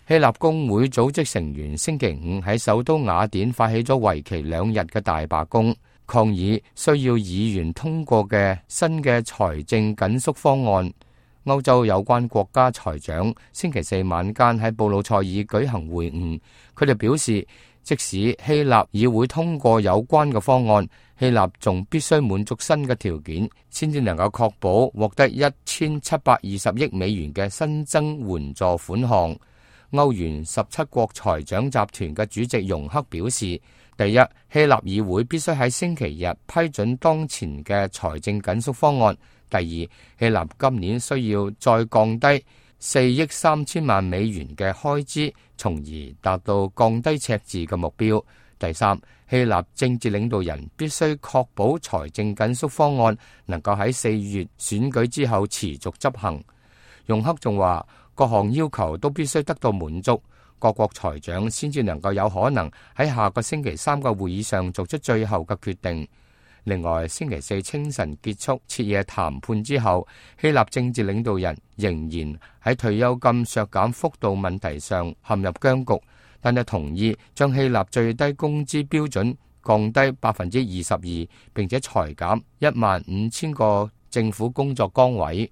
希臘工會組織成員星期五喺首都雅典發起咗為期2日嘅大罷工，抗議需要議員通過嘅新嘅財政緊縮方案。歐洲有關國家財長星期四晚間喺布魯塞爾舉行會晤，佢哋表示，即使希臘議會通過有關嘅方案，希臘仲必須滿足新嘅條件，先至能夠確保獲得1720億美元嘅新增援助款項。歐元17國財長集團嘅主席容克表示，第一，希臘議會必須喺星期日批准當前嘅財政緊縮方案。第二，希臘今年需要再降低4億3千萬美元嘅開支，從而達到降低赤字嘅目標。第三，希臘政治領導人必須確保財政緊縮方案能夠喺4月選舉之後持續執行。容克仲話，各項要求都必須得到滿足，各國財長先至能夠有可能喺下個星期三嘅會議上作出最後嘅決定。另外，星期四清晨結束徹夜談判之後，希臘政治領導人仍然喺退休金削減幅度問題上陷入僵局，但係同意將希臘最低工資標準降低22%，並且裁減15000個政府工作崗位。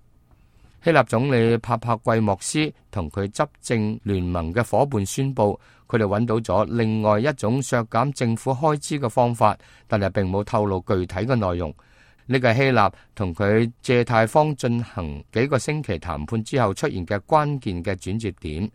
希臘總理帕帕季莫斯同佢執政聯盟嘅夥伴宣布，佢哋揾到咗另外一種削減政府開支嘅方法，但係並冇透露具體嘅內容。呢個係希臘同佢借貸方進行幾個星期談判之後出現嘅關鍵嘅轉折點。